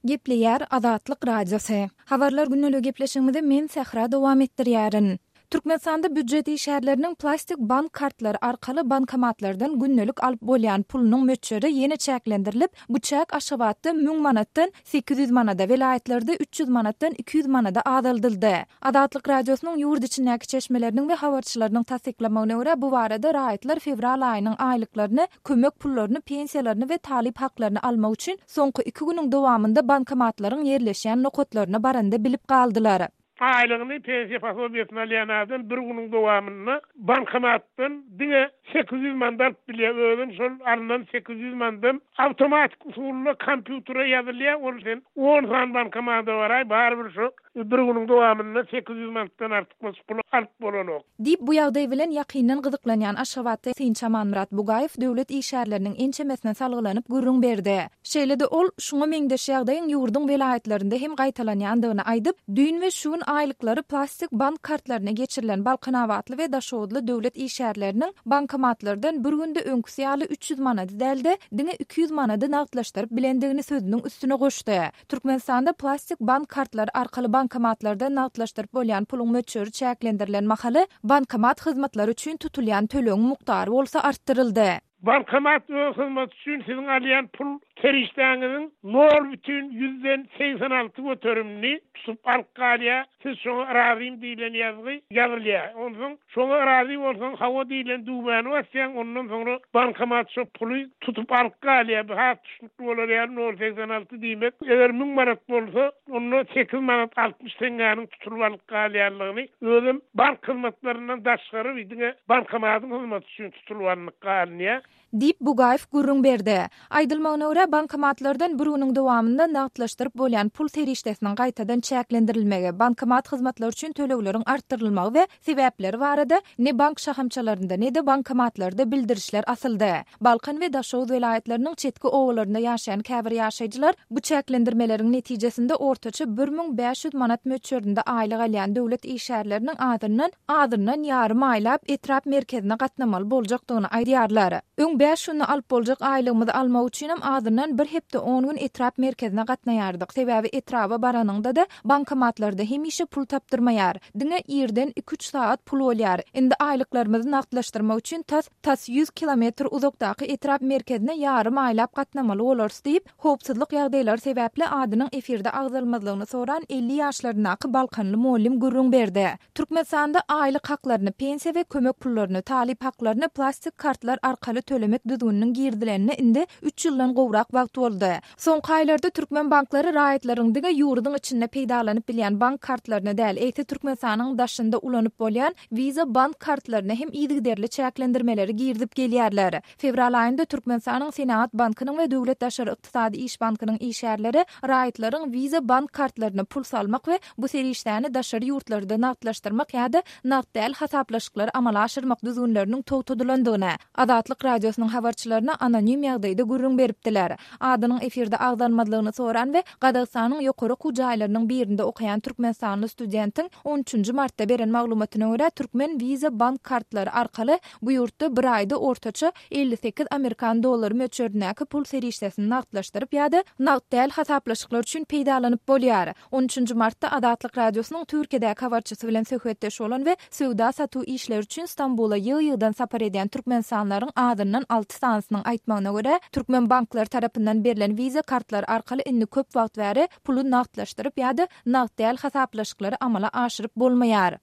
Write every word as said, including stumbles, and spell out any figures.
Gepleýär Azatlyk Radiosy. Habarlar gündeligi gepleşigimizi men Sähra dowam etdirýärin. Türkmenistanda býujet işgärleriniň plastik bank kartlary arkaly bankomatlardan gündelik alyp bolýan pulunyň möçberi ýene çäklendirilip, bu çäk Aşgabatda müň manatdan sekiz ýüz manada, welaýatlarda üç ýüz manatdan iki ýüz manada azaldyldy. Azatlyk Radiosynyň ýurt içindäki çeşmeleriniň we habarçylarynyň tassyklamagyna görä, bu barada raýatlar fewral aýynyň aýlyklaryny, kömek pullaryny, pensiýalaryny we talyp haklaryny almak üçin soňky iki günüň dowamynda bankomatlaryň ýerleşýän nokatlaryna baranda bilip galdylar. Aýlygyny, pensiýa posobiýesini alýan adam bir günüň dowamynda bankomatdan diňe sekiz ýüz manat alyp bilýär. Özem şol alnan sekiz ýüz manatdan awtomatik usulda kompýutere ýazylýar. Ol sen on sany bankomata baraý, barybir şo bir günüň dowamynda sekiz ýüz manatdan artykmaç pul alyp bolanok. Diýip, bu ýagdaý bilen ýakyndan gyzyklanýan Aşgabatda synçy Amanmyrat Bugaýew döwlet işgärleriniň ençemesine salgylanyp gürrüň berdi. Şeýle-de ol, şuňa meňzeş ýagdaýyň ýurduň welaýatlarynda hem gaýtalanýandygyny aýdyp, düýn we şu gün aýlyklary plastik bank kartlaryna geçirilen balkanabatly we daşoguzly döwlet işgärleriniň bankomatlardan bir günde öňküsi ýaly üç ýüz manady däl-de, diňe iki ýüz manady nagtlaşdyryp bilendigini sözüniň üstüne goşdy. Türkmenistanda plastik bank kartlary arkaly bankomatlardan nagtlaşdyryp bolýan puluň möçberi çäklendirilen mahaly, bankomat hyzmatlary üçin tutulýan tölegiň mukdary bolsa artdyryldy. Bankomat öz hyzmaty üçin siziň alýan pul serişdäňiziň nol bütin ýüzden segsen alty göterimini tutup alyp galýar. Siz şoňa razym diýlen ýazgy ýazylýar. Onsoň şoňa razy bolsaň, hawa diýlen düwmäni basýaň, ondan soňra bankomat şo puly tutup alyp galýar. Bu has düşnükli bolar ýaly nol segsen alty diýmek, eger müň manat bolsa, onda sekiz manat altmyş teňňäniň tutulyp alyp galýanlygyny, özem bank hyzmatlaryndan daşgary diňe bankomatyň hyzmaty üçin tutulyp alnyp galynýar. Diýip, Bugaýew gürrüň berdi. Aýdylmagyna görä, bankomatlardan bir günüň dowamynda nagtlaşdyryp bolýan pul serişdesiniň gaýtadan çäklendirilmegi, bankomat hyzmatlary üçin tölegleriň artdyrylmagy we sebäpleri barada ne bank şahamçalarynda, ne-de bankomatlarda bildirişler asyldy. Balkan we Daşoguz welaýatlarynyň çetki obalarynda ýaşaýan käbir ýaşaýjylar bu çäklendirmeleriň netijesinde ortaça bir müň bäş ýüz manat möçberinde aýlyk alýan döwlet işgärleriniň azyndan azyndan ýarym aýlap etrap merkezine gatnamaly boljakdygyny aýdýarlar. Öň bäş günde alyp boljak aýlygymyzy almak üçinem azyndan bir hepde on gün etrap merkezine gatnaýardyk. Sebäbi etraba baranyňda-da bankomatlarda hemişe pul tapdyrmaýar. Diňe irden iki-üç sagat pul bolýar. Indi aýlyklarymyzy nagtlaşdyrmak üçin tas, tas ýüz kilometr uzakdaky etrap merkezine ýarym aýlap gatnamaly bolarys diýip, howpsuzlyk ýagdaýlary sebäpli adynyň efirde agzalmazlygyny soran elli ýaşlaryndaky balkanly mugallym gürrüň berdi. Türkmenistanda aýlyk haklaryny, pensiýa we kömek pullaryny, talyp haklaryny plastik kartlar arkaly tölemek düzgüniniň girizilenine indi üç ýyldan gowrak wagt boldy. Soňky aýlarda türkmen banklary raýatlaryň diňe ýurduň içinde peýdalanyp bilýän bank kartlaryny däl, eýse Türkmenistanyň daşynda ulanyp bolýan Visa bank kartlaryna hem yzygiderli çäklendirmeleri girizip gelýärler. Fewral aýynda Türkmenistanyň Senagat bankynyň we Döwlet daşary ykdysady iş bankynyň işgärleri raýatlaryň Visa bank kartlaryna pul salmak we bu serişdäni daşary ýurtlarda nagtlaşdyrmak ýa-da nagt däl hasaplaşyklary amala aşyrmak düzgünleriniň togtadylandygyny Azatlyk Radiosynyň habarçylaryna anonim ýagdaýda gürrüň beripdiler. Adynyň efirde agzalmazlygyny soran we Gazagystanyň ýokary okuw jaýlarynyň birinde okaýan türkmenistanly studentiň on üçünji martda beren maglumatyna görä, türkmen Visa bank kartlary arkaly bu ýurtda bir aýda ortaça elli sekiz amerikan dollary möçberindäki pul serişdesini nagtlaşdyryp ýa-da nagt däl hasaplaşyklar üçin peýdalanyp bolýar. On üçünji martda Azatlyk Radiosynyň Türkiýedäki habarçysy bilen söhbetdeş bolan we söwda satuw işleri üçin Stambula ýygy-ýygydan sapar edýän türkmenistanlaryň azyndan alty sanysynyň aýtmagyna görä, türkmen banklary tarapyndan berlen Visa kartlary arkaly indi köp wagt bäri puly nagtlaşdyryp ýa-da nagt däl hasaplaşyklary amala aşyryp bolmaýar.